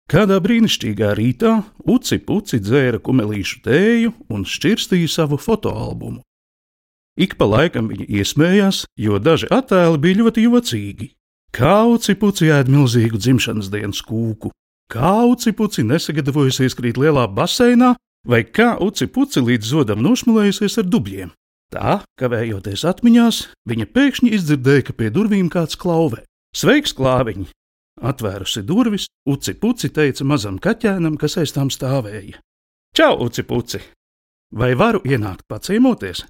Kādā brīnišķīgā rītā Uci Puci dzēra kumelīšu tēju un šķirstīja savu fotoalbumu. Ik pa laikam viņa iesmējās, jo daži attēli bija ļoti jocīgi. Kā Uci Puci ēd milzīgu dzimšanas dienas kūku, kā Uci Puci nesagatavojusies krīt lielā baseinā, vai kā Uci Puci līdz zodam nošmulējusies ar dubļiem. Tā, kavējoties atmiņās, viņa pēkšņi izdzirdēja, ka pie durvīm kāds klauvē. Sveiks, klāviņi! Atvērusi durvis, Uci Puci teica mazam kaķēnam, kas aiz tām stāvēja. Čau, Uci Puci! Vai varu ienākt paciemoties?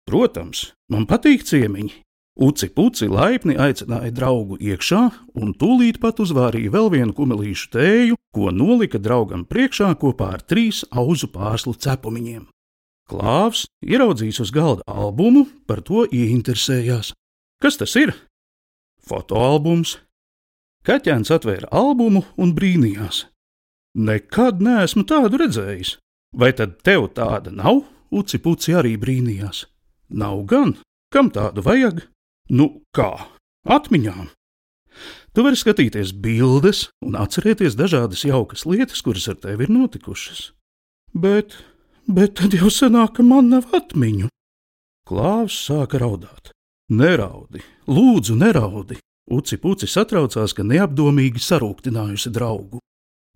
Protams, man patīk ciemiņi. Uci Puci laipni aicināja draugu iekšā un tūlīt pat uzvārīja vēl vienu kumelīšu tēju, ko nolika draugam priekšā kopā ar 3 auzu pārslu cepumiņiem. Klāvs, ieraudzījis uz galda albumu, par to ieinteresējās. Kas tas ir? Fotoalbums. Kaķēns atvēra albumu un brīnījās. Nekad neesmu tādu redzējis. Vai tad tev tāda nav? Uci Puci arī brīnījās. Nav gan. Kam tādu vajag? Nu kā? Atmiņām. Tu vari skatīties bildes un atcerēties dažādas jaukas lietas, kuras ar tevi ir notikušas. Bet tad jau sanāk, ka man nav atmiņu. Klāvs sāka raudāt. Neraudi, lūdzu, neraudi. Uci Puci satraucās, ka neapdomīgi sarūktinājusi draugu.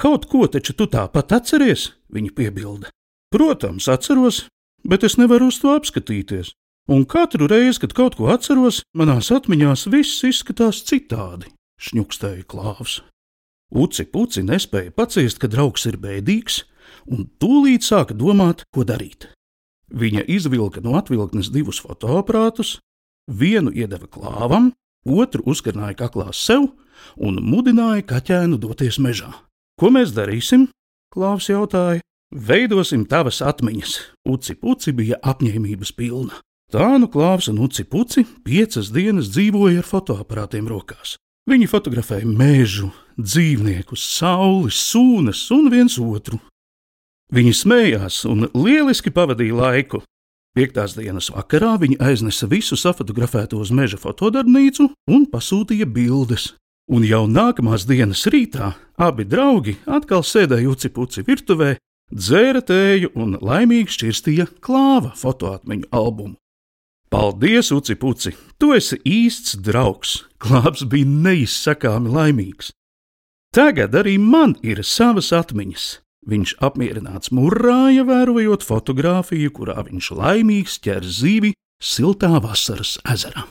Kaut ko taču tu tāpat atceries, viņa piebilda. Protams, atceros, bet es nevaru uz to apskatīties. Un katru reizi, kad kaut ko atceros, manās atmiņās viss izskatās citādi, šņukstēja Klāvs. Uci Puci nespēja paciest, ka draugs ir bēdīgs, un tūlīt sāka domāt, ko darīt. Viņa izvilka no atvilknes 2 fotoaparātus, vienu iedeva Klāvam, otru uzkarināja kaklās sev un mudināja kaķēnu doties mežā. Ko mēs darīsim? Klāvs jautāja. Veidosim tavas atmiņas. Uci Puci bija apņēmības pilna. Tā nu Klāvs un Uci Puci 5 dienas dzīvoja ar fotoaparātiem rokās. Viņi fotografēja mežu, dzīvniekus, sauli, sūnas un viens otru. Viņi smējās un lieliski pavadīja laiku. 5. dienas vakarā viņi aiznesa visu safotografēto uz meža fotodarbnīcu un pasūtīja bildes. Un jau nākamās dienas rītā abi draugi atkal sēdēja Uci Puci virtuvē, dzēra tēju un laimīgi šķirstīja Klāva fotoatmiņu albumu. Paldies, Uci Puci! Tu esi īsts draugs! Klāvs bija neizsakāmi laimīgs. Tagad arī man ir savas atmiņas. Viņš apmierināts murrāja, vērojot fotogrāfiju, kurā viņš laimīgs ķer zivi siltā vasaras ezerā.